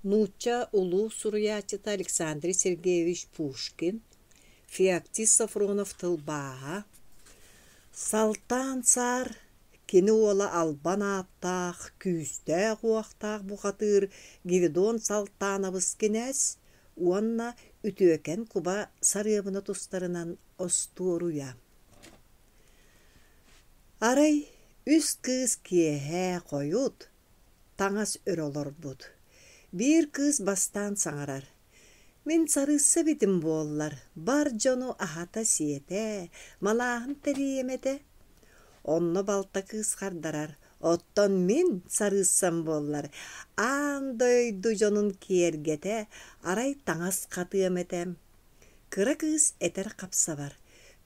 Нуучча улуу суруйааччыта Александр Сергеевич Пушкин, Феоктист Софронов тылбааһа, Салтаан Саар кини уола албан ааттаах, күүстээх-уохтаах бухатыыр Гвидон Салтаанабыс кинээс уонна Үтүөкэн куба сарыабына тустарынан остуоруйа. Арай үс кыыс киэһэ хойут таҥас өрө олорбут. Биир кыыс бастаан саҥарар: «Мин сарыысса эбитим буоллар, бар дьону аһата-сиэтэ, малааһын тэрийиэм этэ». Онно балта кыыс хардарар: «Оттон мин сарыыссам буоллар, аан дойду дьонун киэргэтэ, арай таҥас хатыам этэ». Кыра кыыс этэр хапсабар: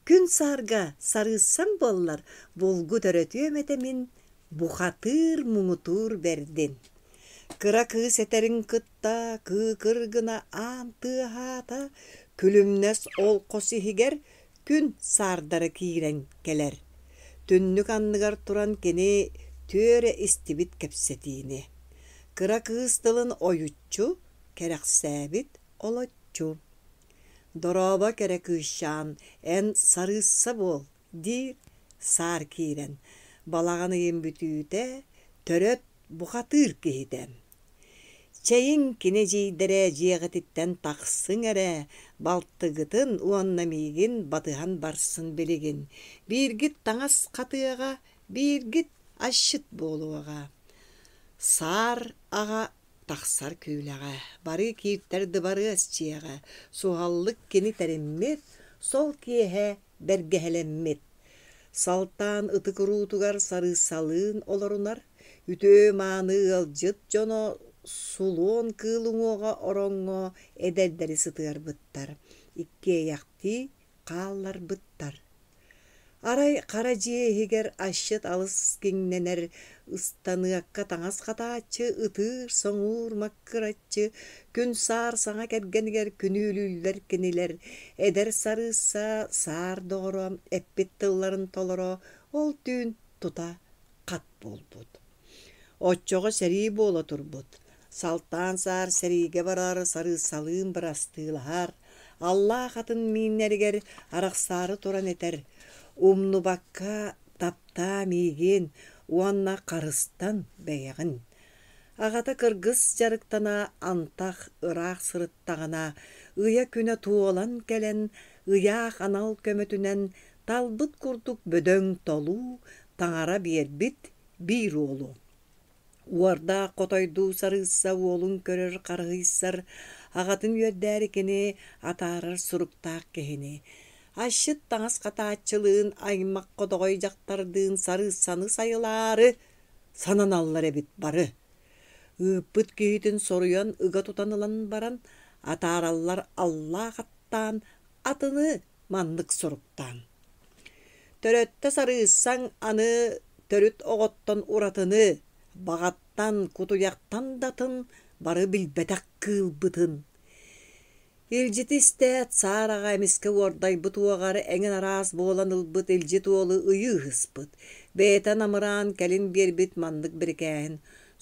«Күн саарга сарыыссам буоллар, булгу төрөтүөм этэ мин бухатыыр муҥутуур бэрдин». Кыра кыыс этэрин кытта кыыкыр гына аан тыаһаата, күлүмнэс ол хос иһигэр күн саардара киирэн кэлэр. Түннүк анныгар туран кини түөрэ истибит кэпсэтиини. Кыра кыыс тылын ойуччу кэрэхсээбит олоччу. «Дорообо, кэрэ кыысчаан, эн сарыысса буол» диир саар киирэн, балаҕан ыйын бүтүүтэ төрөт бухатыыр киһитэ. «Чэйиҥ, кини эдьиийдэрэ дьиэҕититтэн тахсыҥ эрэ, балтыгытын уонна миигин батыһан барсын билигин, бииргит таҥас хатыаҕа, бииргит асчыт буолуоҕа». Саар аҕа тахсар күүлэҕэ, барыы кииртэр дыбарыас дьиэҕэ, суһаллык кини тэриммит, сол киэһэ бэргэһэлэммит. Салтаан ытык уруутугар сарыыссалыын олорунар, үтүө-мааны ыалдьыт дьоно сулуон кыыл уҥуоҕа ороҥҥо эдэрдэри сытыарбыттар, иккиэйэхтии хаалларбыттар. Арай хара дьиэ иһигэр асчыт алыс киҥнэнэр, ыстаныакка таҥас хатааччы, ытыыр-соҥуур маккыраччы, күн саар саҥа кэргэнигэр күнүүлүүллэр кинилэр, эдэр сарыысса саар доҕоро эппит тылларын толоро ол түүн тута хат буолбут. Оччоҕо сэрии буола турбут. Салтаан саар сэриигэ барар, сарыыссалыын бырастыылаһар, аллаах атын мииннэригэр арахсаары туран этэр: «Умнубакка таптаа миигин уонна харыстан бэйэҕин». Аҕата кыргыс дьарыктана антах ыраах сырыттаҕына, ыйа-күнэ туолан кэлэн, ыйаах анал көмөтүнэн талбыт курдук бөдөҥ толуу таҥара биэрбит биир уолу Уордаах хотойдуу сарыысса уолун көрөр харыһыйсар, аҕатын үөрдээри кини атаарар суруктаах киһини. Асчыт таҥас хатааччылыын, аймах хотоҕой дьахтардыын сарыыссаны сайылаары сананаллар эбит бары. Ыыппыт киһитин соруйан ыга тутан ылан баран, атаараллар аллаах аттаан, атыны маннык суруктаан Төрөттө сарыыссаҥ аны төрүт оҕоттон уратыны, баҕаттан, кутуйахтан да атын бары билбэтэх кыылбытын. Илдьити истээт, саараҕа эмискэ уордайбыт уоҕар эҥин араас буолан ылбыт илдьит уолу ыйыы ыһыспыт, бэйэтэ намыраан кэлин биэрбит маннык бирикээһин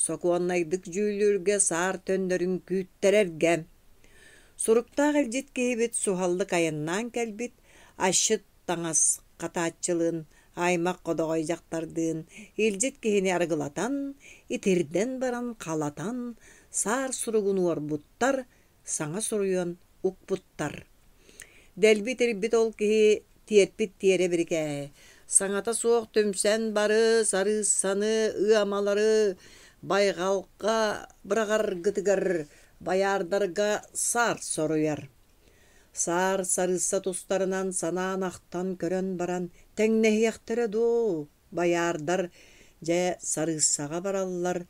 сокуоннайдык дьүүллүүргэ саар төннөрүн күүттэрэргэ Суруктаах илдьит киһибит суһаллык айаннаан кэлбит, асчыт таҥас хатааччылыын, аймах ходоҕой дьахтардыын илдьит киһини арыгылатан, итирдэн баран халатан, саар суругун уорбуттар, саҥа суруйан укпуттар. Дэлби итирбит ол киһи тиэрпит тиэрэ бирикээһи, саҥата суох түмсэн бары сарыыссаны, ыамалары байҕалга быраҕаргытыгар Байаардарга саар соруйар. Саар сарыысса тустарынан санаан ахтан көрөн баран тэҥнэһиэхтэрэ дуо, байаардар дьэ сарыыссаҕа бараллар,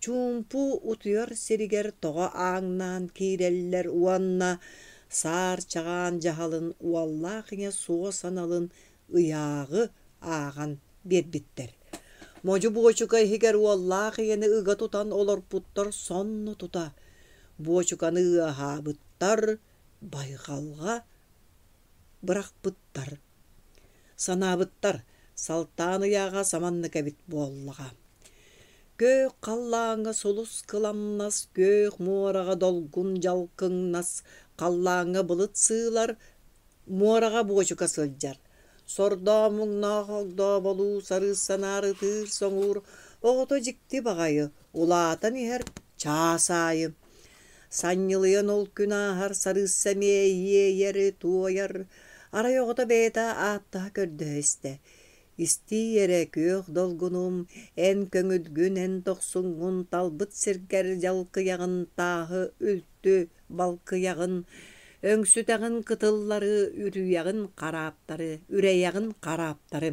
чуумпу утуйар сиригэр тоҕо ааҥнаан киирэллэр уонна саар чаҕаан дьаһалын уоллаах ийэ суос аналын ыйааҕы ааҕан биэрбиттэр. Модьу буочука иһигэр уоллаах ийэни ыга тутан олорпуттар сонно тута буочуканы ыаһаабыттар, байҕалга бырахпыттар. Санаабыттар, Салтаан ыйааҕа саманнык эбит буоллаҕа. Күөх халлааҥҥа сулус кыламнас, күөх муораҕа долгун дьалкыҥнас, халлааҥҥа былыт сыылар, муораҕа буочука сылдьар. Сордоо-муҥнаах огдооболуу сарыыссанаар ытыыр-соҥуур оҕото дьикти баҕайы, улаатан иһэр чаас аайы. Санньылыйан ол күн ааһар сарыысса эмиэ иэйэр, туойар, арай оҕото бэйэтэ ааттаһа көрдөһө истэ. Истиий эрэ, күөх долгунум, эн көҥүлгүн, эн дохсуҥҥун талбыт сиргэр дьалкыйаҕын, тааһы үлтү балкыйаҕын, өҥсүтэҕин кытыллары, үрүйэҕин харааптары, үрэйэҕин харааптары.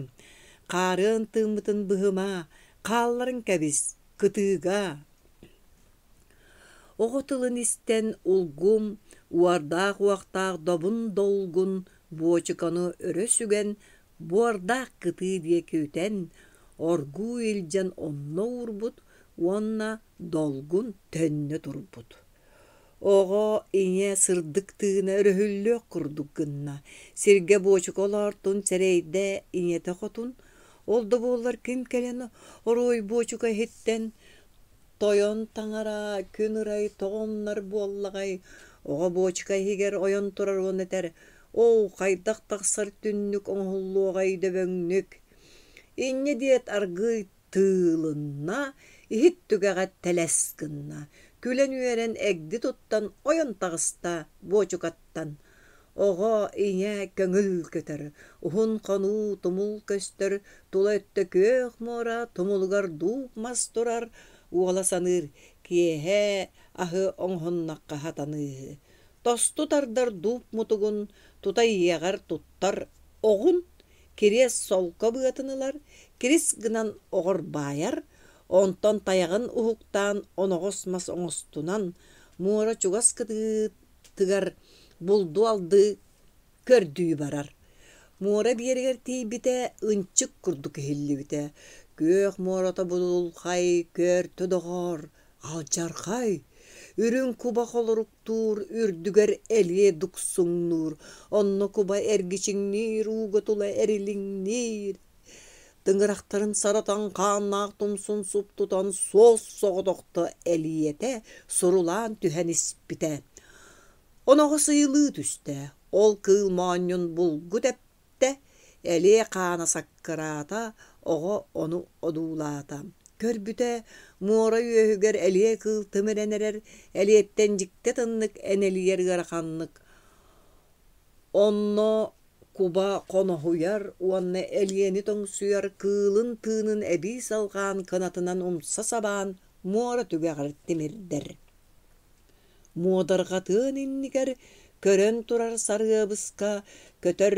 Хаарыан тыыммытын быһыма, хаалларан кэбис, кытыыга. Оҕо тылын истэн улгум, уордаах-уохтаах добун долгун буочуканы өрө сүгэн, буордаах кытыы диэки үтэн, оргуу илдьэн онно уурбут уонна долгун төннө турбут. Оҕо ийэ сырдык тыына өрөһүллүөх курдук гынна, сиргэ буочука олоортун сэрэйдэ ийэтэ хотун, ол да буоллар ким кэлэн оруой буочука иһиттэн Тойон таҥара күн ырай тоҕо умнар буоллаҕай, оҕо буочука иһигэр ойон турар уонна этэр: «Оо, хайдах тахсар түннүк оҥоһуллуоҕай дөбөҥнүк?» Инньэ диэт аргыый тыылынна, иһит түгэҕэ тэлэс гынна, күлэн-үөрэн эгди туттан ойон таҕыста буочукаттан. Оҕо, ийэ көҥүл көтөр, уһун хонуу тумул көстөр, тула өттө күөх муора, тумулугар дууп мас турар, уола саныыр, киэһэ аһы оҥоһуннахха сатаныыһы. Тосту тардар дууп мутугун тута ийэҕэр туттар оҕун, кириэс солко быатын ылар, кирис гынан оҕор баайар, онтон тайаҕын уһуктаан оноҕос мас оҥостунан, муора чугас кытыытыгар булду-алды көрдүү барар. Муора биэригэр тиийбитэ ынчык курдук иһиллибитэ. Күөх муората будулхай, көөртө доҕоор, алдьархай! Үрүҥ куба холоруктуур, үрдүгэр элиэ дуксуҥнуур, онно куба эргичиҥниир, ууга тула эрилиҥниир. Тыҥырахтарын саратан хааннаах тумсун суптутан суос соҕотохто элиэтэ сурулаан түһэн испитэ. Оноҕос ыйылыы түстэ, ол кыыл моонньун булгу тэптэ, элиэ хаана саккыраата, оҕо ону одуулаата. Көрбүтэ, муора үөһүгэр элиэ кыыл тимирэн эрэр, элиэттэн дьикти атыннык энэлийэр ыараханнык. Онно куба хоноһуйар уонна элиэни тоҥсуйар кыылын тыынын эбии салҕаан кынатынан умса сабаан муора түгэҕэр тимирдэр. Муодарҕатыан иннигэр көрөн турар сарыабыска көтөр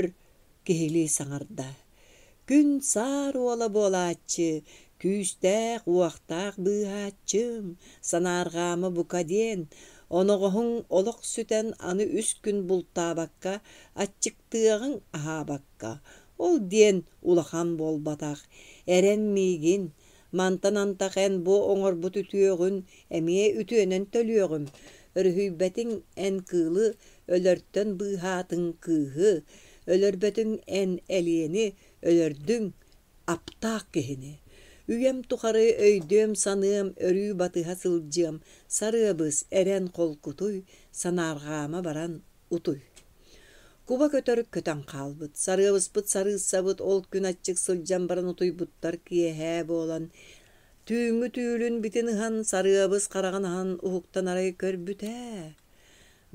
киһилии саҥарда: «Күн саар уола буолааччы, күүстээх-уохтаах быыһааччым, санаарҕаама бука диэн, оноҕоһуҥ олох сүтэн аны үс күн бултаабакка, аччыктыаҕыҥ аһаабакка, ол диэн улахан буолбатах, эрэн миигин, Мантан антах эн бу оҥорбут үтүөҕүн эмиэ үтүөнэн төлүөҕүм, өрүһүйбэтиҥ эн кыылы, өлөртөн быыһаатыҥ кыыһы, өлөрбөтүҥ эн элиэни, өлөрдүҥ аптаах киһини. Үйэм тухары өйдүөм-саныам, өрүү батыһа сылдьыам, сарыабыс, эрэн холкутуй, санаарҕаама баран утуй. Куба көтөр көтөн хаалбыт, сарыабыспыт сарыыссабыт ол күн аччык сылдьан баран утуйбуттар киэһээ буолан, түүҥҥү түүлүн битин ыһан, сарыабыс хараҕын аһан уһуктан арай көрбүтэ,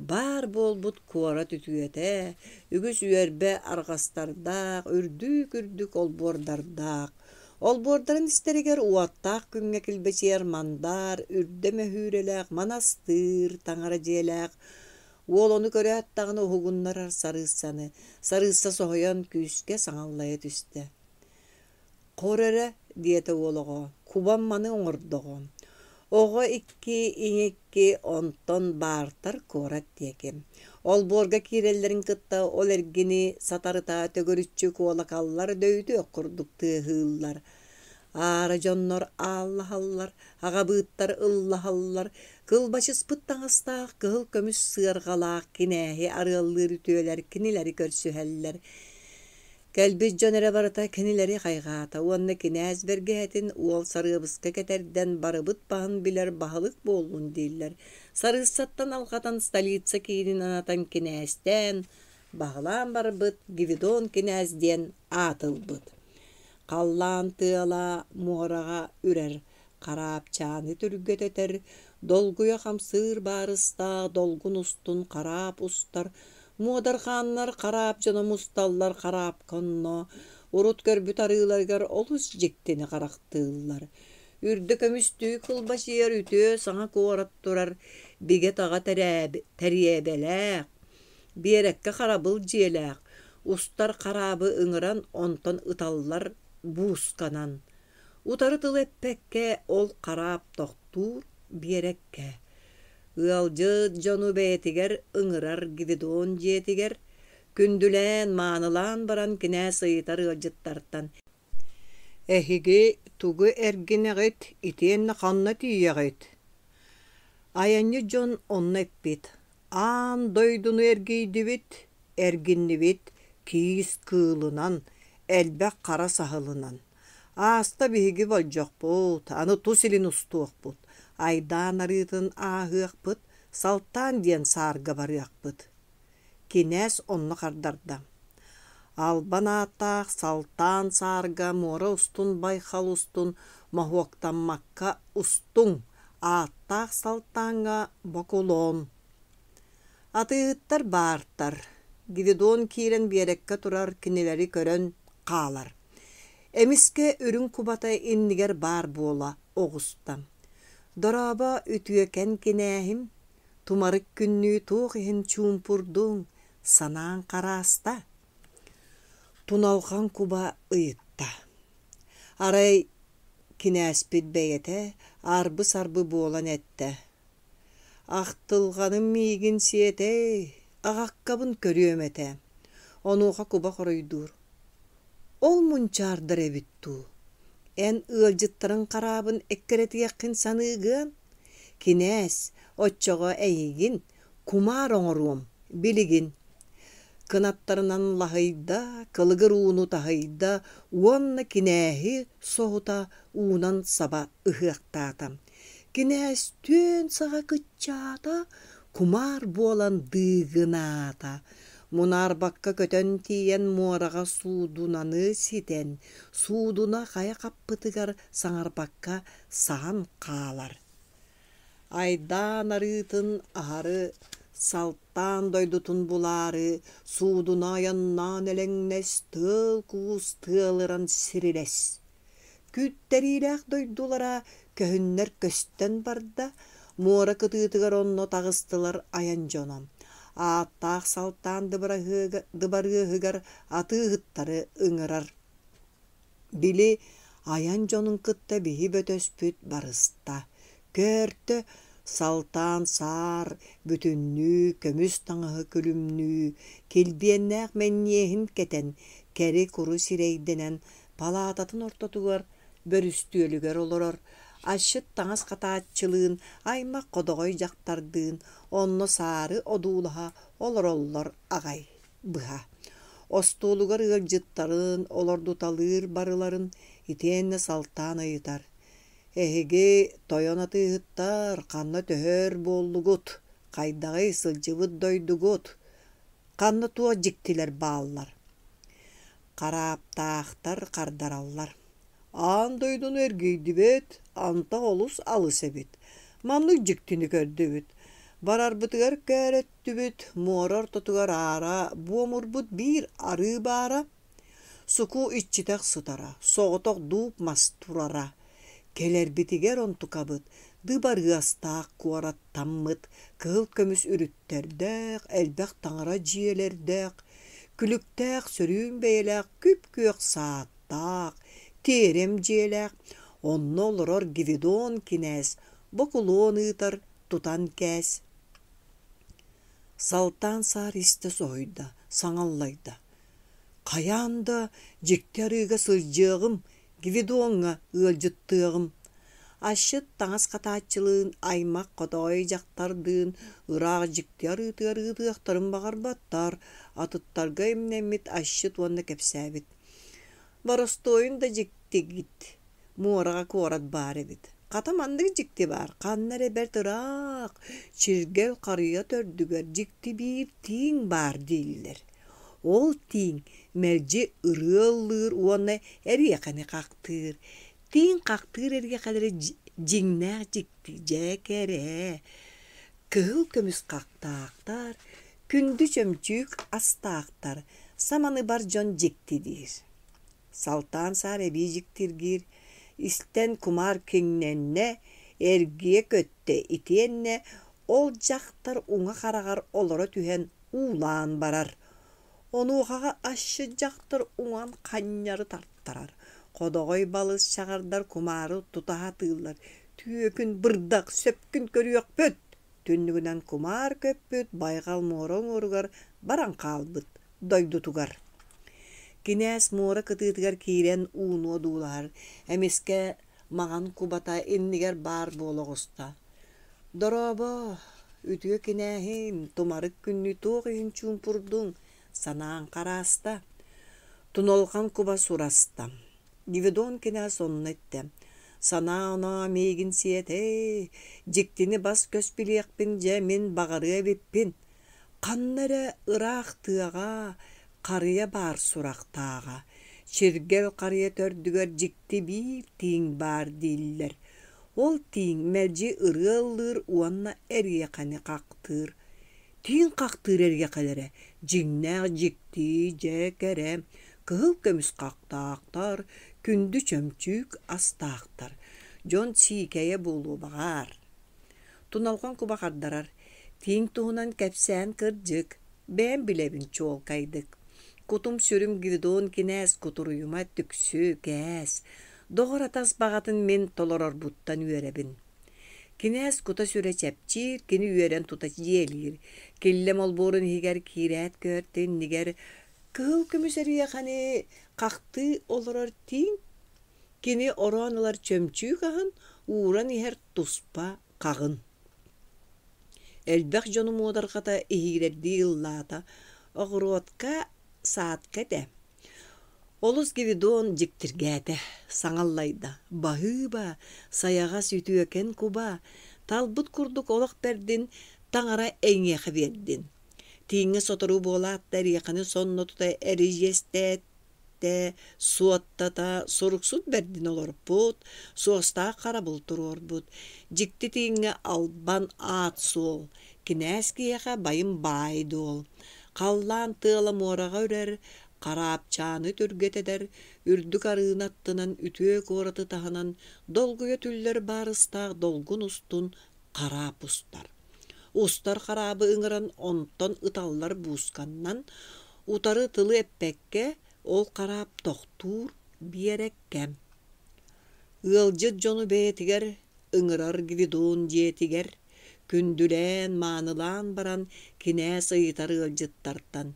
баар буолбут куорат үтүөтэ, үгүс үөрбэ арҕастардаах, үрдүк-үрдүк олбуордардаах. Олбуордарын истэригэр уоттаах күҥҥэ килбэчийэр мандаар, үрдэ мөһүүрэлээх манастыыр таҥара дьиэлээх, Уол ону көрөөт даҕаны уһугуннарар сарыыссаны, сарыысса соһуйан күүскэ саҥаллайа түстэ. «Хор эрэ» диэтэ уол оҕо, «кубам маны оҥордоҕо. Оҕо икки, ийэ икки, онтон баартар куорат диэки. Олбуорга киирэллэрин кытта ол эргини сатарыта төгүрүччү куолакаллар дөйүтүөх курдук тыаһыыллар. Аара дьоннор ааллаһаллар, аҕабыыттар ыллаһаллар, кылбачыспыт таҥастаах кыһыл көмүс сыарҕалаах кинээһи арыаллыыр үтүөлэр кинилэри көрсүһэллэр. Кэлбит дьон эрэ барыта кинилэри хайҕаата уонна кинээс бэргэһэтин уол Сарыабыска кэтэрдэн барыбыт баһын билэр баһылык буоллун дииллэр. Сарыыссаттан алҕатан столица киинин анатан кинээстээн, баһылаан барбыт Гвидон кинээс диэн аат ылбыт. Халлаан тыала муораҕа үрэр, хараапчааны түргэтэтэр, долгуйа хамсыыр баарыстаах долгун устун хараап устар, муодарҕааннар хараап дьоно мусталлар хараапка онно, урут көрбүт арыыларыгар олус дьиктини харахтыыллар. Үрдэ көмүстүү кылбачыйар үтүө саҥа куорат турар, бигэ-таҕа тэриэбэлээх, биэрэккэ харабыл дьиэлээх, устар хараабы ыҥыран онтон ыталлар буусканан. Утары тыл эппэккэ ол хараап тохтуур биэрэккэ. Ыалдьыт дьону бэйэтигэр ыҥырар Гвидон дьиэтигэр, күндүлээн, маанылаан баран кинээс ыйытар ыалдьыттартан «Эһиги тугу эргинэҕит итиэннэ ханна тиийэҕит?» Айанньыт дьон онно эппит: «Аан дойдуну эргийдибит, эргиннибит киис кыылынан, элбэх хара саһылынан. Ааста биһиги болдьохпут, аны тус илин устуохпут, айдаан арыытын ааһыахпыт, Салтаан диэн саарга барыахпыт». Кинээс онно хардарда: «Албан ааттаах Салтаан саарга муора устун байхал устун моһуоктаммакка устуҥ, ааттаах Салтааҥҥа бокулуон». Атыыһыттар баартар, Гвидон киирэн биэрэккэ турар кинилэри көрөн хаалар. Эмискэ үрүҥ кубата иннигэр баар буола оҕуста. «Дорообо, үтүөкэн кинээһим, Тумарык күннүү туох иһин чуумпурдуҥ, санааҥ харааста?» Туналҕан куба ыйытта. Арай кинээспит бэйэтэ арбы-сарбы буолан эттэ: «Ахтылҕаным миигин сиэтэй, аҕаккабын көрүөм этэ». Онуоха куба хоруйдуур: «Ол мунчаардар эбит дуу, эн ыалдьыттарыҥ хараабын эккирэтиэххин саныыгыан? Кинээс, оччоҕо эйигин кумаар оҥоруом, билигин Кынаттарынан лаһыйда, кылыгыр ууну таһыйда уонна кинээһи соһута уунан саба ыһыахтаата. Кинээс түөн саҕа кыччаата, кумаар буолан дыыгынаата. Мунаарбакка көтөн тиийэн муораҕа суудунаны ситэн, суудуна хайа хаппытыгар саҥарбакка саһан хаалар. Айдаан арыытын аһары салтаан дойдутун булаары, суудуна айаннаан элэҥнэс, тыал-куус тыалыран сирилэс. Күүттэриилээх дойдулара көһүннэр көстөн барда, муора кытыытыгар онно таҕыстылар айан дьоно. Ааттаах Салтаан дыбарыаһыгар атыыһыттары ыҥырар. Били айан дьонун кытта биһи бөтөспүт барыста, көөртө, салтаан саар бүтүннүү көмүс таҥаһы күлүмнүү, килбиэннээх мэнньиэһин кэтэн, кэри-куру сирэйдэнэн палаататын ортотугар бөрүстүөлүгэр олорор, асчыт таҥас хатааччылыын, аймах ходоҕой дьахтардыын онно саары одуулаһа олороллор аҕай быһа. Остуолугар ыалдьыттарын, олордуталыыр барыларын итиэннэ салтаан ыйытар: «Эһиги, тойон атыыһыттар, ханна төһөр буоллугут? Хайдаҕый сылдьыбыт дойдугут? Ханна туох дьиктилэр бааллар?» Харааптаахтар хардараллар: «Аан дойдуну эргийдибит, антах олус алыс эбит. Маннык дьиктини көрдүбүт. Барарбытыгар көөрөттүбүт, муора ортотугар аара буомурбут биир арыы баара. Суку иччитэх сытара, соҕотох дууп мас турара. Кэлэрбитигэр онтукабыт дыбарыастаах куораттаммыт, кыһыл көмүс үрүттэрдээх, элбэх таҥара дьиэлэрдээх, күлүктээх сөрүүн бэйэлээх күп-күөх сааттаах, тиэрэм дьиэлээх, онно олорор Гвидон кинээс бокулуон ыытар, тутан кээс. Салтаан саар истэ соһуйда, саҥа аллайда: «Хайаан да дьикти арыыга сылдьыаҕым, Гвидоҥҥа ыалдьыттыаҕым. Асчыт таҥас хатааччылыын, аймах хотоойу дьахтардыын ыраах дьикти арыытыгар ыытыахтарын баҕарбаттар, атыттарга имнэммит асчыт уонна кэпсээбит: «Боростуойун да дьиктигит, муораҕа куорат баар эбит. Хата маннык дьикти баар, ханна эрэ бэрт ыраах, чиргэл харыйа төрдүгэр дьикти биир тииҥ баар дииллэр. Ол тииҥ мэлдьи ырыа ыллыыр уонна эриэхэни хахтыыр. Тииҥ хахтыыр эриэхэлэри дьиҥнээх дьикти дьэ кэрэ. Кыһыл көмүс хахтаахтар, күндү чөмчүүк астаахтар, саманы бар дьон дьикти диир. Салтаан саар эбии дьиктиргиир, истэн кумаар киҥнэннэ, эргийэ көттө итиэннэ ол дьахтар уҥа хараҕар олоро түһэн уулаан барар. Онуохаҕа асчыт дьахтар уҥан ханньары тартарар, ходоҕой балыс чаҕардар кумаары тута сатыыллар, түөкүн бырдах сөпкүн көрүөхпүт Түннүгүнэн кумаар көппүт байҕал муора уҥуоругар баран хаалбыт дойдутугар. Кинээс муора кытыытыгар киирэн ууну одуулаһар, эмискэ маҥан кубата иннигэр баар буола оҕуста. «Дорообо, үтүө кинээһим, тумарык күннүү туох иһин чуумпурдуҥ, санааҥ харааста?» Туналҕан куба сураста. Гвидон кинээс онно эттэ: «Санаа-оноо миигин сиэтэ, дьиктини бас-көс билиэхпин дьэ мин баҕарыа эбиппин. Ханна эрэ ыраах тыаҕа харыйа баар сурахтааҕа, чиргэл харыйа төрдүгэр дьикти биир тииҥ баар дииллэр. Ол тииҥ мэлдьи ырыа ыллыыр уонна эриэхэни хахтыыр. Тииҥ хахтыыр эриэхэлэрэ дьиҥнээх дьикти дьэ кэрэ, кыһыл көмүс хахтаахтар, күндү чөмчүүк астаахтар, дьон сиикэйэ буолуо баҕар. Туналҕан куба хардарар, тииҥ туһунан кэпсээн кырдьык, бэйэм билэбин чуолкайдык. Кутум-сүрүм Гвидон кинээс кутуруйума түксү, кээс, доҕор-атас баҕатын мин толорорбуттан үөрэбин. Кинээс кута-сүрэ чэпчиир, кини үөрэн тута дьиэлиир. Киллэм олбуорун иһигэр киирээт көөртө иннигэр кыһыл көмүс эриэхэни хахтыы олорор тииҥ кини ороон ылар чөмчүүк аһын ууран иһэр туспа хаҕын. Элбэх дьону муодарҕата иһиирэрдии ыллаата, оҕуруотка, саадка этэ. Олус Гвидон дьиктиргээтэ, саҥа аллайда: «Баһыыба, сайаҕас үтүөкэн куба, талбыт курдук олох бэрдин таҥара эйиэхэ биэрдин». Тииҥҥэ сотору буолаат да эриэхэни сонно тута эридьиэстээт суоттата суруксут бэрдин олорпут, суостаах харабыл туруорбут, дьикти тииҥҥэ албан аат суол, кинээс киһиэхэ байым баай-дуол, халлаан тыала муораҕа үрэр, хараапчааны түргэтэтэр, үрдүк арыыны аттынан үтүө куораты таһынан долгуйа түллэр баарыстаах долгун устун хараап устар. Устар хараабы ыҥыран онтон ыталлар буусканнан, утары тылы эппэккэ ол хараап тохтуур биэрэккэ. Ыалдьыт дьону бэйэтигэр ыҥырар Гвидон дьиэтигэр күндүлээн, маанылаан баран кинээс ыйытар ыалдьыттартан: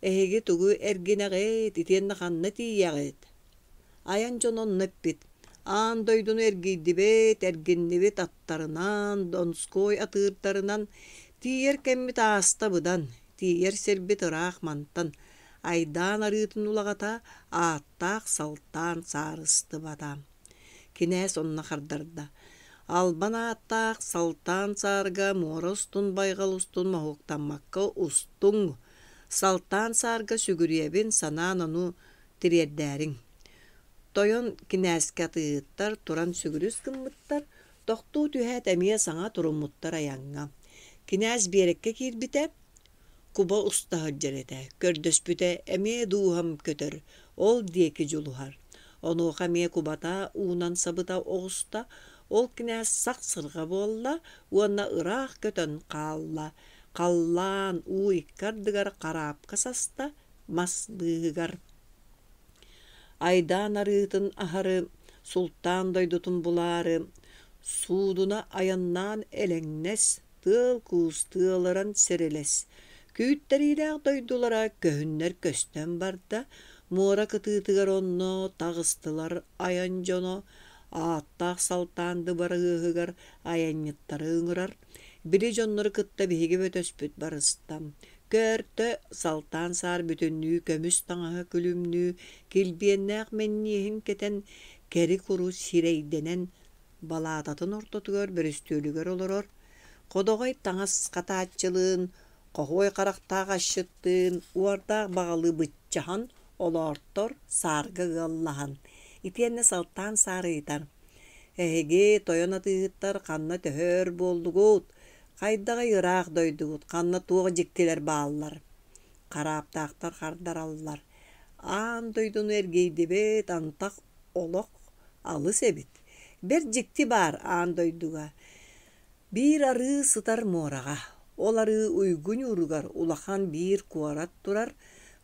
«Эһиги тугу эргинэҕит итиэннэ ханна тиийэҕит?» Айан дьоно онно эппит: «Аан дойдуну эргийдибит, эргиннибит аттарынан, Донской атыырдарынан, тиийэр кэммит ааста быдан, тиийэр сирбит ыраах мантан, айдаан арыытын улаҕата, ааттаах Салтаан саарыстыбата». Кинээс онно хардарда: «Албан ааттаах Салтаан саарга муора устун байҕал устун моһуоктаммакка устуҥ, Салтаан саарга сүгүрүйэбин санаан ону тириэрдээриҥ». Тойон кинээскэ атыыһыттар туран сүгүрүс гыммыттар, тохтуу түһээт эмиэ саҥа туруммуттар айаҥҥа. Кинээс биэрэккэ киирбитэ, Куба уста сылдьар этэ, көрдөспүтэ эмиэ дууһам көтөр, ол диэки дьулуһар. Онуоха эмиэ кубата уунан сабыта оҕуста, ол кинээс сах сырҕа буолла уонна ыраах көтөн хаалла, халлаан уу икки ардыгар хараапка саста, мас быыһыгар. Айдаан арыытын аһары, султаан дойдутун булаары, суудуна айаннаан элэҥнэс, тыал-куус тыалыран сирилэс, күүттэриилээх дойдулара көһүннэр көстөн барда, муора кытыытыгар онно таҕыстылар айан дьоно, Ааттаах Салтаан дыбарыаһыгар айанньыттары ыҥырар. Били дьоннору кытта биһиги бөтөспүт барыста. Көөртө Салтаан саар бүтүннүү көмүс таҥаһы күлүмнүү, килбиэннээх мэнньиэһин кэтэн, кэри-куру сирэйдэнэн, балаататын ортотугар бөрүстүөлүгэр олорор, ходоҕой таҥас хатааччылыын, хоһуой харахтаах асчыттыын, уордаах баҕалыы быччаһан олоортор саарга ыаллаһан, итиэннэ Салтаан саар ыйытар: «Эһиги, тойон атыыһыттар, ханна төһө өр буоллугут? Хайдаҕый ыраах дойдугут, ханна туох дьиктилэр бааллар?» Харааптаахтар хардараллар: «Аан дойдуну эргийдибит, антах олох алыс эбит. Бэрт дьикти баар аан дойдуга. Биир арыы сытар муораҕа, ол арыы уйгу ньууругар улахан биир куорат турар,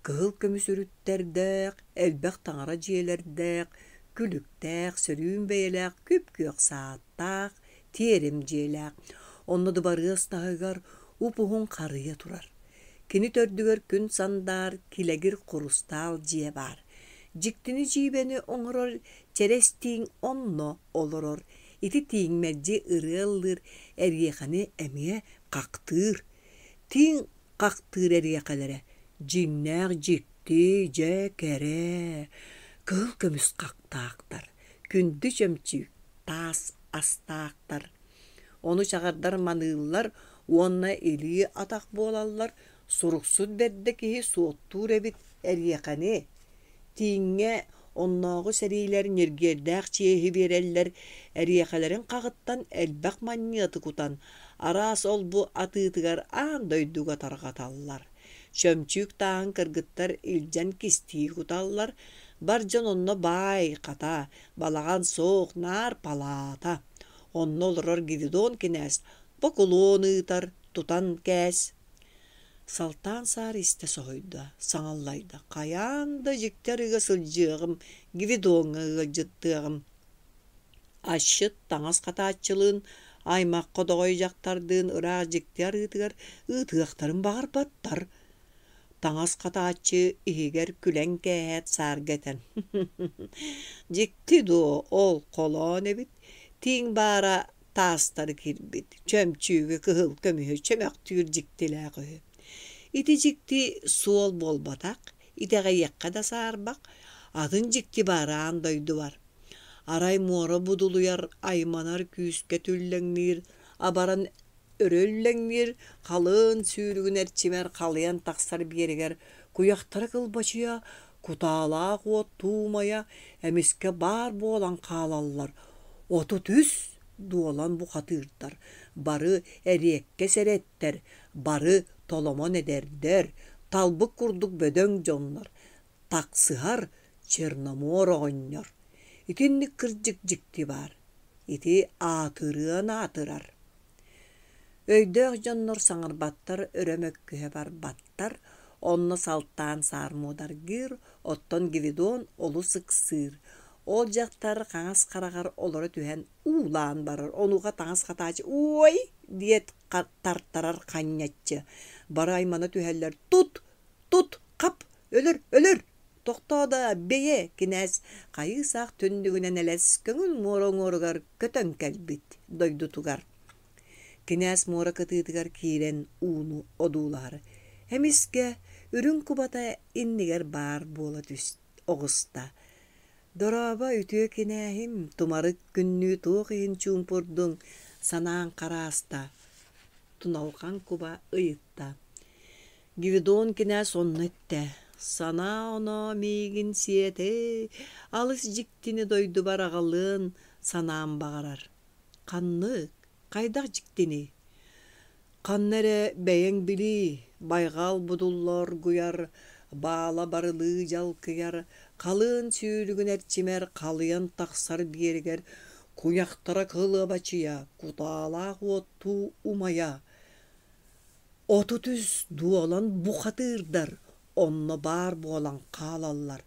кыһыл көмүс үрүттэрдээх, элбэх таҥара дьиэлэрдээх, күлүктээх, сөрүүн бэйэлээх күп-күөх сааттаах, тиэрим дьиэлээх. Онно дыбарыас таһыгар уп-уһун харыйа турар. Кини төрдүгэр күн сандаар килэгир хурустаал дьиэ баар. Дьиктини-дьиибэни оҥорор чэрэс тииҥ онно олорор. Ити тииҥ мэлдьи ырыа ыллыыр, эриэхэни эмиэ хахтыыр. Тииҥ хахтыыр эриэхэлэрэ дьиҥнээх дьикти, дьэ кэрэ, кыһыл көмүс хахтаахтар, күндү чөмчүүк таас астаахтар. Ону чаҕардар маныыллар уонна илии-атах буолаллар, суруксут бэрдэ киһи суоттуур эбит эриэхэни. Тииҥҥэ оннооҕу сэриилэр ньиргиэрдээх чиэһи биэрэллэр, эриэхэлэрин хаҕыттан элбэх манньыаты кутан, араас ол-бу атыытыгар аан дойдуга тарҕаталлар. Чөмчүүк тааһын кыргыттар илдьэн кистии куталлар, бар дьон онно баай, хата, балаҕан суох, наар палаата. Онно олорор Гвидон кинээс бокулуон ыытар, тутан кээс. Салтаан саар истэ соһуйда, саҥаллайда: «Хайаан да дьикти арыыга сылдьыаҕым, Гвидоҥҥа ыалдьыттыаҕым». Асчыт таҥас хатааччылыын, аймах ходоҕой дьахтардыын ыраах дьикти арыытыгар ыытыахтарын баҕарбаттар. Таҥас хатааччы иһигэр күлэн кээһээт саарга этэн: «Дьикти дуо, ол холоон эбит, тииҥ баара таастары кирбит, чөмчүүгү кыһыл көмүһү чөмөхтүүр дьиктилээх үһү. Ити дьикти суол буолбатах, итэҕэйиэххэ да саарбах, атын дьикти баар аан дойдубар. Арай муора будулуйар, айманар күүскэ түллэҥниир, абаран өрө үллэҥниир, халыан сүүрүгүн эрчимэр халыйан тахсар биэрэгэр куйахтара кылбачыйа, кутаалаах уот туумайа эмискэ баар буолан хаалаллар, 33 дуолан бухатыырдар, бары эриэккэс эрэттэр, бары толомон эдэрдэр, талбыт курдук бөдөҥ дьоннор, тахсыһар Черномор оҕонньор. Итинник кырдьык дьикти баар. Ити аатырыан аатырар. Өйдөөх дьоннор саҥарбаттар, өрө мөккүһэ барбаттар, онно салтаан саар муодаргыыр, оттон Гвидон олус ыксыыр. Ол дьахтар хаҥас хараҕар олоро түһэн уулаан барар, онуоха таҥас хатааччы «Уой!» диэт тартарар ханньаччы. Бары аймана түһэллэр «Тут! Тут! Хап! Өлөр! Өлөр!» Тохтоо да, бэйэ, кинээс хайыы-саах түннүгүнэн элэс көҥүл муора уҥуоругар көтөн кэлбит дойдутугар. Кинээс муора кытыытыгар киирэн ууну одуулаһар. Эмискэ үрүҥ кубата иннигэр баар буола түстэ оҕуста. «Дорообо, үтүө кинээһим, тумарык күннүү туох иһин чуумпурдуҥ, санааҥ харааста?» Туналҕан куба ыйытта. Гвидон кинээс онно эттэ: «Санаа-оноо миигин сиэтэ, алыс дьиктини дойдубар аҕалыан санаам баҕарар. Ханнык, хайдах дьиктиний? Ханна эрэ бэйэҥ билии, байҕал будулла оргуйар, баала барылыы дьалкыйар, халыан сүүрүгүн эрчимэр халыйан тахсар биэригэр куйахтара кылыабачыйа, кутаалаах уоттуу умайа, 33 дуолан бухатыырдар онно баар буолан хаалаллар,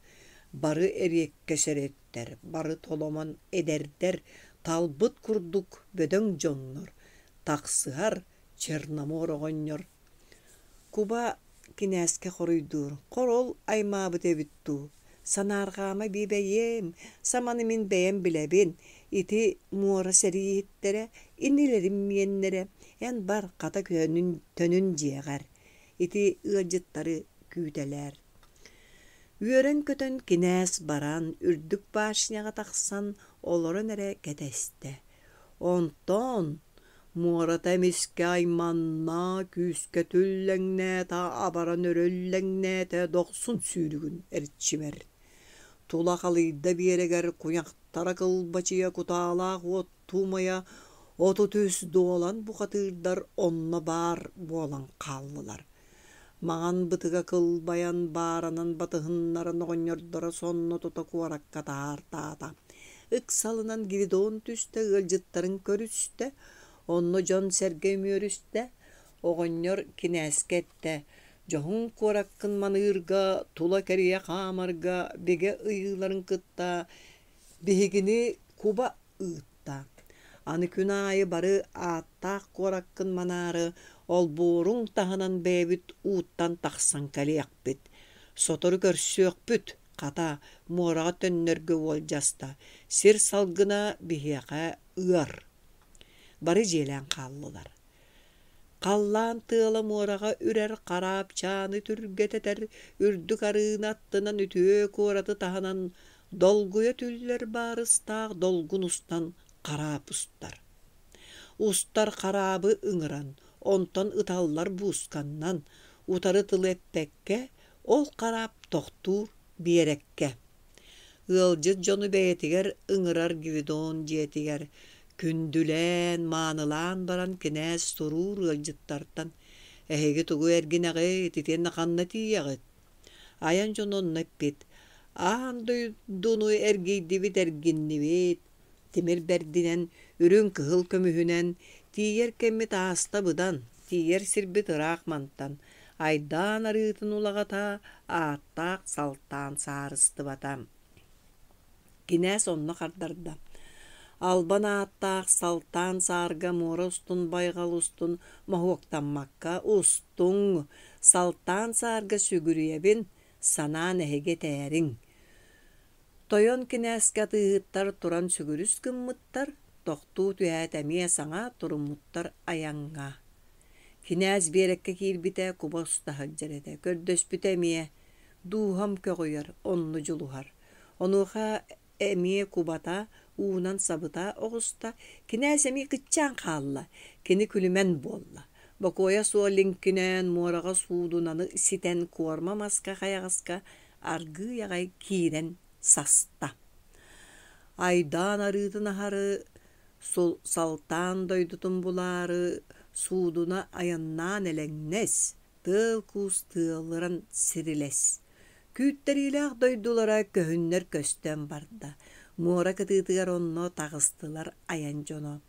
бары эриэккэс эрэттэр, бары толомон эдэрдэр, талбыт курдук бөдөҥ дьоннор, тахсыһар Черномор оҕонньор. Куба кинээскэ хоруйдуур: «Хор ол аймаабыт эбит дуу, Санаарҕаама биэбэйиэм, саманы мин бэйэм билэбин. Ити муора сэрииһиттэрэ, инилэрим миэннэрэ. Эн бар, хата төнүн дьиэҕэр. Ити ыалдьыттары күүтэлээр. Үөрэн-көтөн кинээс баран, үрдүк башняҕа тахсан олорон эрэ кэтэстэ. Онтон муората эмискэ айманна, күүскэ түллэҥнээтэ, абаран өрө үллэҥнээтэ, дохсун сүүрүгүн эрчимэр. Тула халыйда биэрэгэр куйахтара кылбачыйа кутаалаах уот туумайа 33 дуолан бухатыырдар онно баар буолан хааллылар. Маҥан бытыга кылбайан, бааранан батыһыннаран оҕонньордоро сонно тута куоракка таһаартаата. Ыксалынан Гвидон түстэ, ыалдьыттарын көрүстэ, онно дьон-сэргэ үмүөрүстэ. Оҕонньор кинээскэ эттэ: «Дьоһун куораккын маныырга, тула кэрийэ хаамарга бигэ ыйыыларын кытта биһигини куба ыытта. Аны күн аайы бары ааттаах куораккын манаары олбуоруҥ таһынан бэйэбит ууттан тахсан кэлиэхпит. Сотору көрсүөхпүт, хата, муораҕа төннөргө уолдьаста, сир салгына биһиэхэ ыар. Бары дьиэлээн хааллылар. Халлаан тыала муораҕа үрэр хараапчааны түргэтэтэр, үрдүк арыыны аттынан үтүө куораты таһынан долгуйа түллэр баарыстаах долгун устан хараап устар. Устар хараабы ыҥыран, онтон ыталлар буусканнан, утары тылы эппэккэ, ол хараап тохтуур биэрэккэ. Ыалдьыт дьону бэйэтигэр ыҥырар Гвидон дьиэтигэр күндүлээн, маанылаан баран кинээс суруур ыалдьыттартан «Эһиги тугу эргинэҕит, итиэннэ ханна тиийэҕит?» Айан дьоно онно эппит: «Аан дойдуну эргийдибит, эргиннибит, тимир бэрдинэн, үрүҥ-кыһыл көмүһүнэн, тиийэр кэммит ааста быдан, тиийэр сирбит ыраах мантан, айдаан арыытын улаҕата, ааттаах салтаан саарыстыбата». Кинээс онно хардарда: «Албан ааттаах Салтаан саарга муора устун байҕал устун моһуоктаммакка устуҥ, Салтаан саарга сүгүрүйэбин, санаан эһиги этээриҥ». Тойон кинээскэ атыыһыттар туран сүгүрүс гыммыттар, тохтуу түһээт эмиэ саҥа туруммуттар айаҥҥа. Кинээс биэрэккэ киирбитэ куба уста сылдьар этэ, көрдөспүтэ эмиэ «Дууһам көҕүйэр, онно дьулуһар». Онуоха эмиэ кубата уунан сабыта оҕуста, кинээс эмиэ кыччаан хаалла, кини күлүмэн буолла. Бокуойа суох лиҥкинээн муораҕа суудунаны ситэн куорма маска хайаҕаска аргыый аҕай киирэн саста. Айдаан арыытын аһары Салтаан дойдутун булаары суудуна айаннаан элэҥнэс, тыал-куус тыалыран сирилэс. Күүттэриилээх дойдулара көһүннэр көстөн барда. Муора кытыытыгар онно таҕыстылар айан дьоно.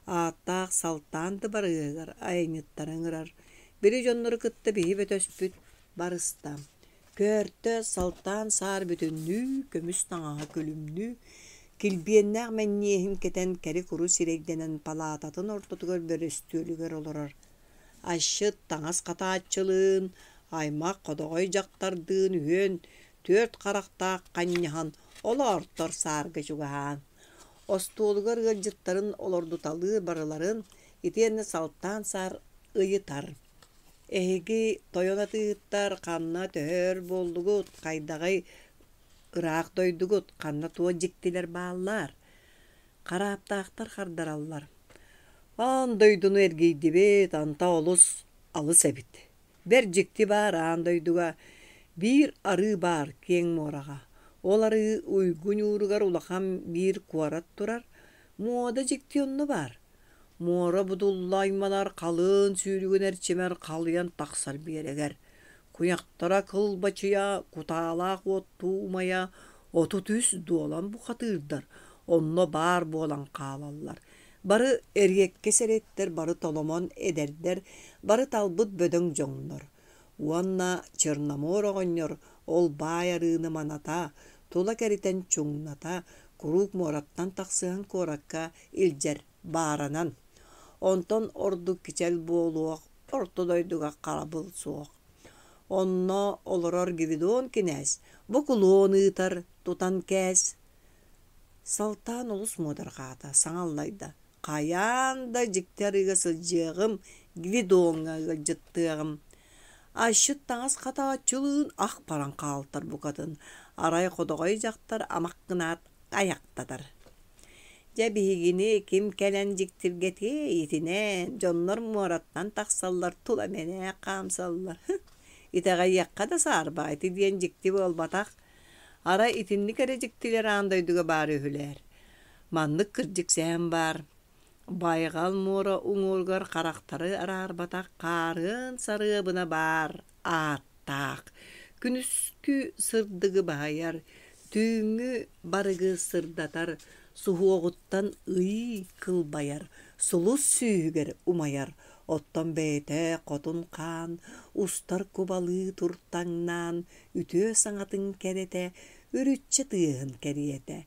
Ааттаах Салтаан дыбарыаһыгар айанньыттары ыҥырар. Били дьоннору кытта биһи бөтөспүт барыста. Көөртө Салтаан саар бүтүннүү, көмүс таҥаһа күлүмнүү, килбиэннээх мэнньиэһин кэтэн кэри-куру сирэйдэнэн палаататын ортотугар бөрөстүөлүгэр олорор. Асчыт таҥас хатааччылыын, аймах ходоҕой дьахтардыын үһүөн түөрт харахтаах ханньаһан олоортор саарга чугаһаан, остуолугар ыалдьыттарын олордуталыыр барыларын итиэннэ Салтаан саар ыйытар: «Эһиги тойон атыыһыттар ханна төһө өр буоллугут, хайдаҕый ыраах дойдугут, ханна туох дьиктилэр бааллар?» Харааптаахтар хардараллар: «Аан дойдуну эргийдибит, анта олус алыс эбит. Бэрт дьикти баар аан дойдуга биир арыы баар киэҥ муораҕа. Ол арыы уйгу ньууругар улахан биир куорат турар, муода дьикти онно баар. Муора будулла айманар халыан сүүрүгүн эрчимэр халыйан тахсар биэрэгэр. Куйахтара кылбачыйа, кутаалаах уоттуу умайа 33 дуолан бухатыырдар онно баар буолан хаалаллар. Бары эриэккэс эрэттэр, бары толомон эдэрдэр, бары талбыт бөдөҥ дьоҥнор. Уонна Черномор оҕонньор ол баай арыыны маната, тула кэритэн чуҥната, куруук муораттан тахсыһан куоракка илдьэр бааранан. Онтон ордук кичэл буолуох орто дойдуга харабыл суох. Онно олорор Гвидон кинээс бокулуон ыытар, тутан кээс. Салтаан олус муодарҕаата, саҥа аллайда: «Хайаан да дьикти арыыга сылдьыаҕым, Гвидоҥҥа ыалдьыттыаҕым». Асчыт таҥас хатааччылыын ах баран хаалтар букатын, арай ходоҕой дьахтар амах гынаат айахтатар. Дьэ биһигини ким кэлэн дьиктиргэтиэй итинэн, дьоннор муораттан тахсаллар, тула мэнээк хаамсаллар. Итэҕэйиэххэ да саарба, ити диэн дьикти буолбатах. Арай итинник эрэ дьиктилэр аан дойдуга баар үһүлэр. Маннык кырдьык сэһэн баар. Байҕал муора уҥуоругар харахтары араарбатах хаарыан сарыабына баар ааттаах, күнүскү сырдыгы баһыйар, түүҥҥү барыгы сырдатар, суһуоҕуттан ый кылбайар, сулус сүүһүгэр умайар, оттон бэйэтэ хотун хаан устар кубалыы туртаҥнаан үтүө саҥатын кэрэтэ, үрүччэ тыаһын кэриэтэ.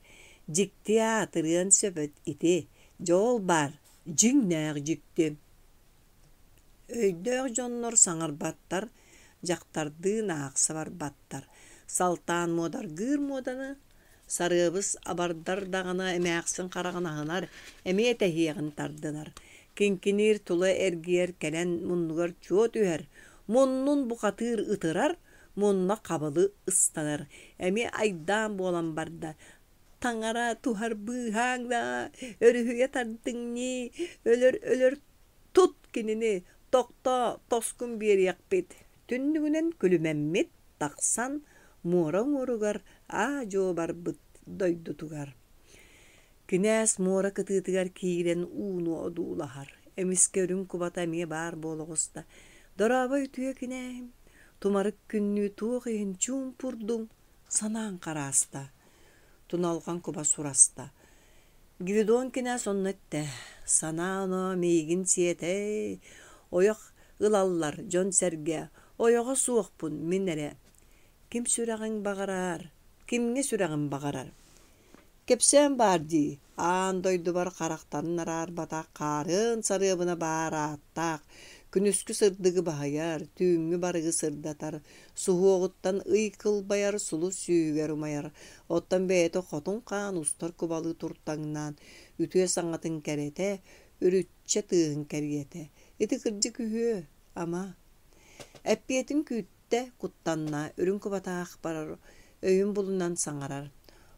Дьикти аатырыан сөп ити, дьол баар, дьиҥнээх дьикти. Өйдөөх дьоннор саҥарбаттар, дьахтардыын аахса барбаттар. Салтаан муодаргыыр муоданы, сарыабыс абардар даҕаны эмээхсин хараҕын аһынар, эмиэ тэһиэҕин тардынар. Киҥкиниир тула эргийэр кэлэн муннугар чуо түһэр, муннун бухатыыр ытырар, мунна хабылы ыстанар. Эмиэ айдаан буолан барда. Таҥара туһар быыһааҥ да, өрүһүйэ тардыҥ ньии, өлөр-өлөр тут кинини, тохтоо, тоскун биэриэхпит. Түннүгүнэн күлүмэммит тахсан муора уҥуоругар аа-дьуо барбыт дойдутугар. Кинээс муора кытыытыгар киирэн ууну одуулаһар. Эмискэ үрүҥ кубата эмиэ баар буола оҕуста. «Дорообо үтүө кинээһим, тумарык күннүү туох иһин чуумпурдуҥ?» санаан харааста. Туналҕан куба сураста. Гвидон кинээс онно эттэ: «Санаа-оноо миигин сиэтэй, ойох ылаллар дьон-сэргэ, ойоҕо суохпун мин эрэ. Ким сүрэҕиҥ баҕарар, кимҥэ сүрэҕим баҕарар Кэпсээн баар дии, аан дойдубар харахтарын араарбатах хаарыан сарыабына баар ааттаах, күнүскү сырдыгы баһыйар, түүҥҥү барыгы сырдатар, суһуоҕуттан ый кылбайар, сулус сүүһүгэр умайар, оттон бэйэтэ хотун хаан устар кубалыы туртаҥнаан, үтүө саҥатын кэрэтэ, үрүччэ тыаһын кэриэтэ. Ити кырдьык үһүө, ама? Эппиэтин күүттэ куттанна, үрүҥ кубатаах барар, өйүн булунан саҥарар: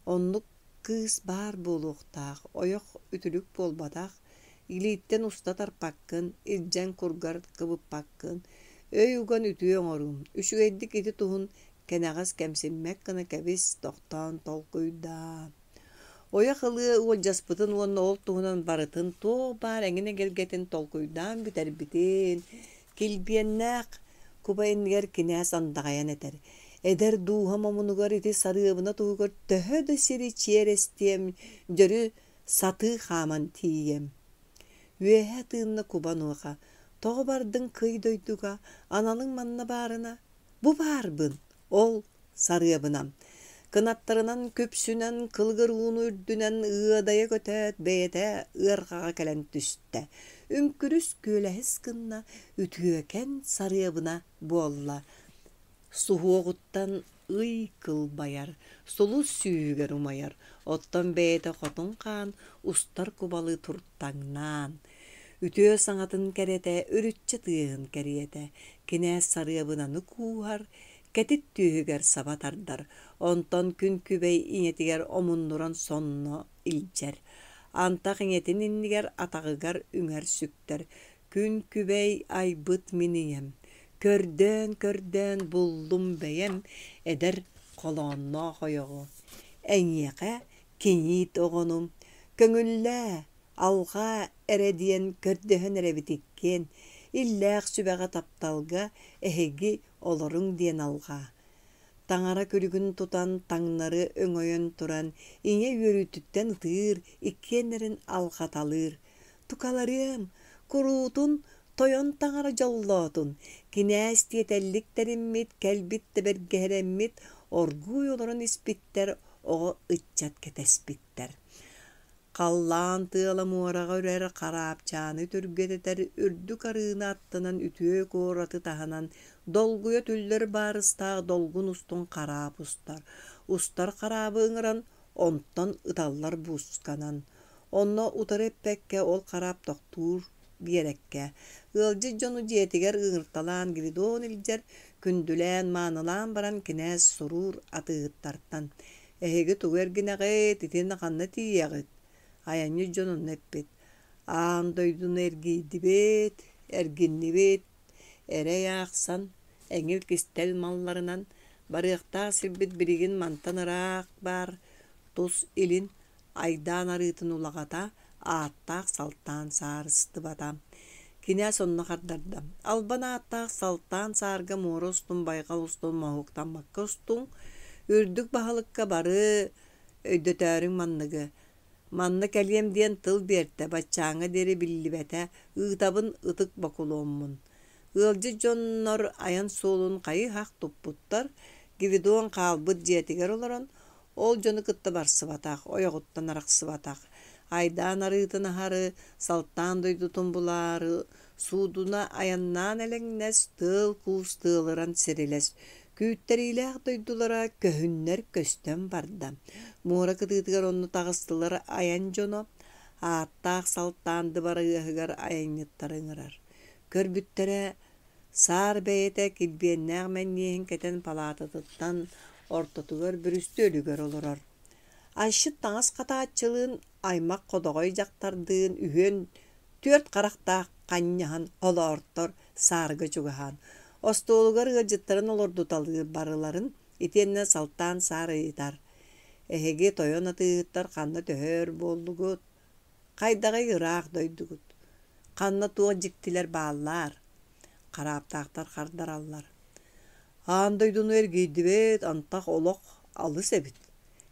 «Оннук кыыс баар буолуохтаах, ойох үтүлүк буолбатах, илииттэн уста тарпаккын, илдьэн кургар кыбыппаккын, өй уган үтүө оҥоруум, үчүгэйдик ити туһун кэнэҕэс кэмсиммэт гына кэбис, тохтоон толкуйдаа». Ойох ылыа уолдьаспытын уонна ол туһунан барытын туох баар эҥин эгэлгэтин толкуйдаан бүтэрбитин, килбиэннээх куба иннигэр кинээс андаҕайан этэр: «Эдэр дууһам омунугар ити сарыабына туһугар төһө да сири чиэрэстиэм, дьөрү сатыы хааман тиийиэм». Үөһэ тыынна куба онуоха: «Тоҕо бардыҥ кый дойдуга, аналыҥ манна баарына? Бу баарбын, ол сарыабынам Кынаттарынан күпсүнэн кылыгыр ууну үрдүнэн ыадайа көтөөт бэйэтэ ыарҕаҕа кэлэн түстэ. Үҥкүрүс күөлэһис гынна, үтүөкэн сарыабына буолла. Суһуоҕуттан ый кылбайар, сулус сүүһүгэр умайар, оттон бэйэтэ хотун хаан устар кубалыы туртаҥнаан. Үтүө саҥатын кэрэтэ, үрүччэ тыаһын кэриэтэ, кинээс сарыабынаны кууһар, кэтит түөһүгэр саба тардар, онтон күн күбэй ийэтигэр омуннуран сонно илдьэр. Антах ийэтин иннигэр атаҕыгар үҥэр сүктэр: «Күн күбэй айбыт мин ийэм, көрдөөн-көрдөөн буллум бэйэм эдэр холоонноох ойоҕу. Эйиэхэ кийиит оҕону көҥүллээ, алҕаа эрэ диэн көрдөһөн эрэбит иккиэн, иллээх сүбэҕэ тапталга эһиги олоруҥ диэн алҕаа. Таҥара күлүгүн тутан таҥнары өҥөйөн туран ийэ үөрүүтүттэн ытыыр, иккиэннэрин алҕаталыыр. Тукаларыам, куруутун тойон таҥара дьоллоотун, кинээс тиэтэллик тэриммит, кэлбит да бэргэһэлэммит, оргууй олорон испиттэр, оҕо ыччат кэтэспиттэр. Халлаан тыала муораҕа үрэр, хараапчааны түргэтэтэр, үрдүк арыыны аттынан үтүө куораты таһынан долгуйа түллэр баарыстаах долгун устун хараап устар. Устар хараабы ыҥыран, онтон ыталлар буусканан. Онно утары эппэккэ ол хараап тохтуур биэрэккэ. Ыалдьыт дьону дьиэтигэр ыҥырталаан Гвидон илдьэр, күндүлээн, маанылаан баран кинээс суруур атыыһыттартан: «Эһиги тугу эргинэҕит, итиннэ ханна тиийэҕит?» Айанньыт дьон онно эппит: «Аан дойдуну эргийдибит, эргиннибит, эрэй аахсан, эҥил кистэл малларынан, барыахтаах сирбит билигин мантан ыраах баар, тус илин, айдаан арыытын улаҕата, ааттаах Салтаан саарыстыбата. Кинээс онно хардарда: «Албан ааттаах Салтаан саарга муора устун, байҕал устун моһуоктаммакка устуҥ, үрдүк баһылыкка бары өйдөтөөрүҥ манныгы. Манна кэлиэм диэн тыл биэртэ, баччааҥҥа диэри биллибэтэ, ыытабын ытык бокулуоммун». Ыалдьыт дьоннор айан суолун хайы-һах туппуттар, Гвидон хаалбыт дьиэтигэр олорон, ол дьону кытта барсыбатах, ойоҕуттан арахсыбатах. Айдаан арыытын аһары, Салтаан дойдутун булаары, суудуна айаннаан элэҥнэс, тыал-куус тыалыран сирилэс, күүттэриилээх дойдулара көһүннэр көстөн барда. Муора кытыытыгар онно таҕыстылар айан дьоно, ааттаах Салтаан дыбарыаһыгар айанньыттары ыҥырар. Көрбүттэрэ, Саар бэйэтэ килбиэннээх мэнньиэһин кэтэн палаататыттан ортотугар бүрүстүөлүгэр олорор. Айшыт таҥас хатааччылыын, аймах ходоҕой дьахтардыын үһүөн түөрт харахтаах ханньаһан холоортор саарга чугаһаан, остуолугар ыалдьыттарын олордуталыыр барыларын итиэннэ салтаан саар ыйытар: «Эһиги тойон атыыһыттар ханна төһө өр буоллугут? Хайдаҕый ыраах дойдугут? Ханна туох дьиктилэр бааллар?» Харааптаахтар хардараллар: «Аан дойдуну эргийдибит, антах олох алыс эбит.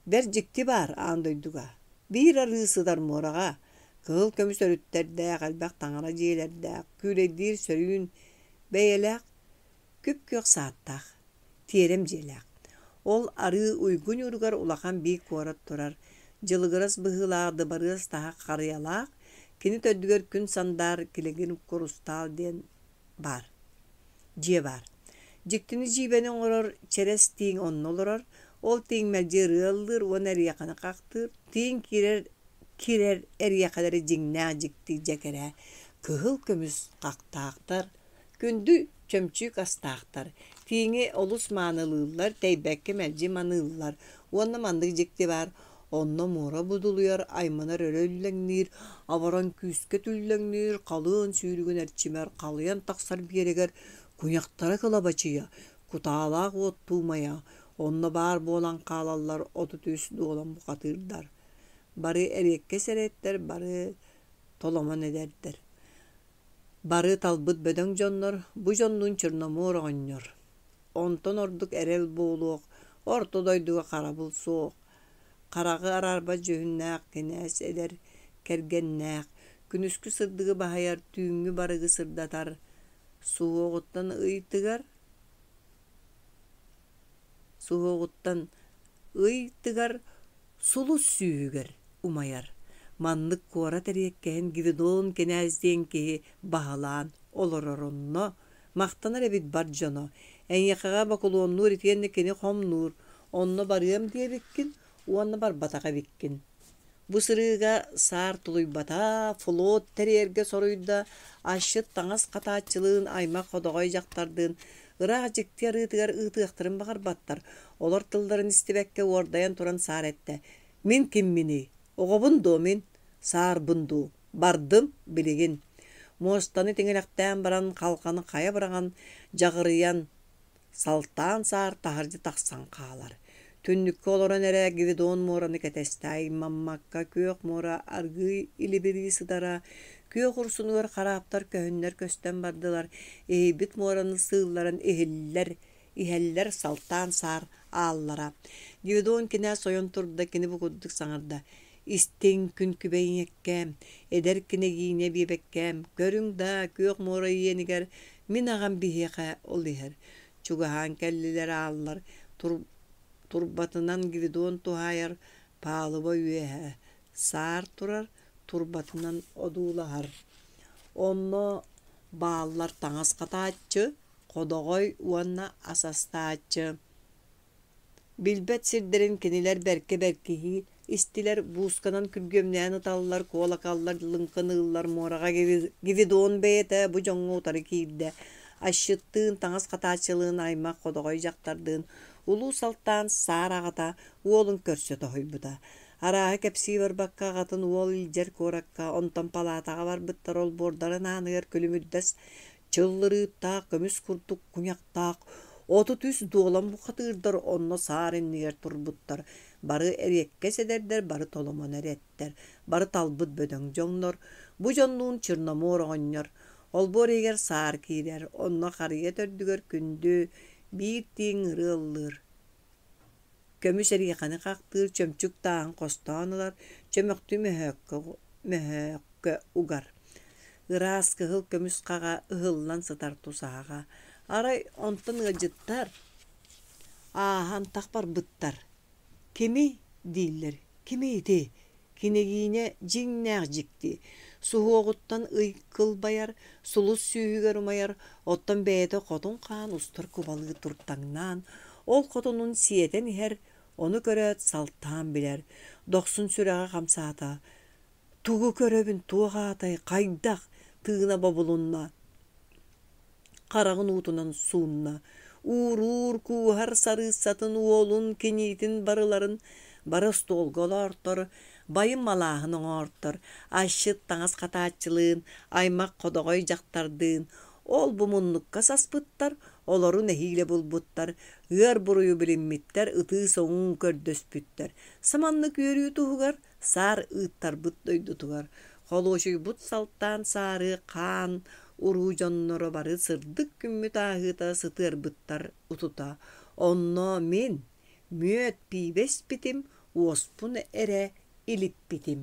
Бэрт дьикти баар аан дойдуга. Биир арыы сытар муораҕа, кыһыл көмүс өрүттэрдээх, элбэх таҥара дьиэлэрдээх, күүлэйдиир сөрүүн бэйэлээх, күп-күөх сааттаах, тиэрэм дьиэлээх. Ол арыы уйгу ньууругар улахан биир куорат турар, дьылыгырас быһыылаах дыбарыас таһа харыйалаах, кини төрдүгэр күн сандаар килэгин курустаал диэн баар, дьиэ баар. Дьиктини-дьиибэни оҥорор чэрэс тииҥ онно олорор, ол тииҥ мэлдьи ырыа ыллыыр уонна эриэхэни хахтыыр, тииҥ киирэр киирэр эриэхэлэри дьиҥнээх дьикти дьэ кэрэ, кыһыл көмүс хахтаахтар, Күндү чөмчүүк астаахтар, тииҥи олус маанылыыллар, тэйбэккэ мэлдьи маныыллар уонна маннык дьикти баар, онно муора будулуйар, айманар өрө үллэҥниир, абаран күүскэ түллэҥниир, халыан сүүрүгүн эрчимэр, халыйан тахсар биэрэгэр куйахтара кылабачыйа, кутаалаах уоттуу умайа, онно баар буолан хаалаллар 33 дуолан бухатыырдар. Бары эриэккэс эрэттэр, бары толомон эдэрдэр. Бары талбыт бөдөҥ дьоннор, бу дьоннуун Черномор оҕонньор. Онтон ордук эрэл буолуох, орто дойдуга харабыл суох. Хараҕы араарбат дьүһүннээх кинээс эдэр кэргэннээх, күнүскү сырдыгы баһыйар, түүҥҥү барыгы сырдатар, суһуоҕуттан ый тыгар, суһуоҕуттан ый тыгар сулус сүүһүгэр умайар. Маннык куорат эриэккэһин Гвидон кинээс диэн киһи баһылаан олорор онно махтанар эбит бар дьоно. Эйиэхэҕэ бокулуоннуур итиэннэ кини хомнуур, онно барыам диэбиккин уонна барбатах эбиккин. Бу сырыыга саар тулуйбата, флот тэрийэргэ соруйда, асчыт таҥас хатааччылыын, аймах ходоҕой дьахтардыын ыраах дьикти арыытыгар ыытыахтарын баҕарбаттар. Олор тылларын истибэккэ уордайан туран саар эттэ: «Мин кимминий? Оҕобун дуо мин? Саарбын дуу? Бардым, билигин». Муостаны тиҥилэхтээн баран халҕаны хайа быраҕан, дьаҕырыйан, Салтаан саар таһырдьа тахсан хаалар. Түннүккэ олорон эрэ Гвидон муораны кэтэстэ аймаммакка күөх муора аргыый илибирии сытара, күөх урсунугар хараптар көһүннэр көстөн бардылар, иһийбит муораны сыылларан иһиллэр, иһэллэр салтаан саар ааллара. Гвидон кинээс ойон турда, кини бу курдук саҥарда: Истиҥ күн күбэй ийэккээм, эдэр кинэгиинэ биэбэккээм, көрүҥ даа, күөх муора иэнигэр мин аҕам биһиэхэ ол иһэр. Чугаһаан кэллилэр ааллар, турбатынан Гвидон туһаайар палуба үөһэ. Саар турар, турбатынан одуулаһар. Онно бааллар таҥас хатааччы, ходоҕой уонна ас астааччы. Билбэт сирдэрин кинилэр бэркэ бэркиһии истилэр, буусканан күргүөмнээн ыталлар, куолакаллар лыҥкыныыллар, муораҕа Гвидон бэйэтэ бу дьоҥҥо утары киирдэ. Асчыттыын, таҥас хатааччылыын, аймах ходоҕой дьахтардыын Улуу Салтаан саар аҕата уолун көрсө тоһуйбута. Арааһы кэпсии барбакка аҕатын уол илдьэр куоракка, онтон палаатаҕа барбыттар олбуордарын ааныгар күлүмүрдэс чыллырыыттаах көмүс курдук куйахтаах 33 дуолан бухатыырдар онно саар иннигэр турбуттар. Бары эриэккэс эдэрдэр, бары толомон эрэттэр, бары талбыт бөдөҥ дьоннор. Бу дьоннуун Черномор оҕонньор. Олбуор иһигэр саар киирэр, онно харыйа төрдүгэр күндү, биир тииҥ ырыа ыллыыр. Көмүс эриэхэни хахтыыр, чөмчүк тааһын хостоон ылар, чөмөхтүү мөһөөккө, мөһөөккө угар. Ыраас кыһыл көмүс хаҕа ыһыллан сытар тусаһаҕа. Арай онтон ыалдьыттар ааһан тах барбыттар. Кимий дииллэр, кимий ити? Кинигиинэ дьиҥнээх дьикти, суһуоҕуттан ый кылбайар, сулус сүүһүгэр умайар, оттон бэйэтэ хотун хаан устар кубалыы туртаҥнаан, ол хотунун сиэтэн иһэр, ону көрөөт салтаан билэр, дохсун сүрэҕэ хамсаата: «Тугу көрөбүн, туох аатай, хайдах?» тыына бобулунна хараҕын уутунан суунна, ууруур, кууһар сарыыссатын, уолун, киниитин барыларын бары остуолга олоортор, байым малааһын оҥоортор, асчыт таҥас хатааччылыын, аймах ходоҕой дьахтардыын ол-бу муннукка саспыттар, олору нэһиилэ булбуттар, ыар буруйу билиммиттэр, ытыы-соҥуу көрдөспүттэр. Саманнык үөрүү туһугар саар ыыттарбыт дойдутугар холуочуйбут салтаан саары хаан уруу дьонноро бары сырдык күммүт ааһыыта сытыарбыттар утута. Онно мин мүөт пиибэ испитим, уоспун эрэ илиппитим.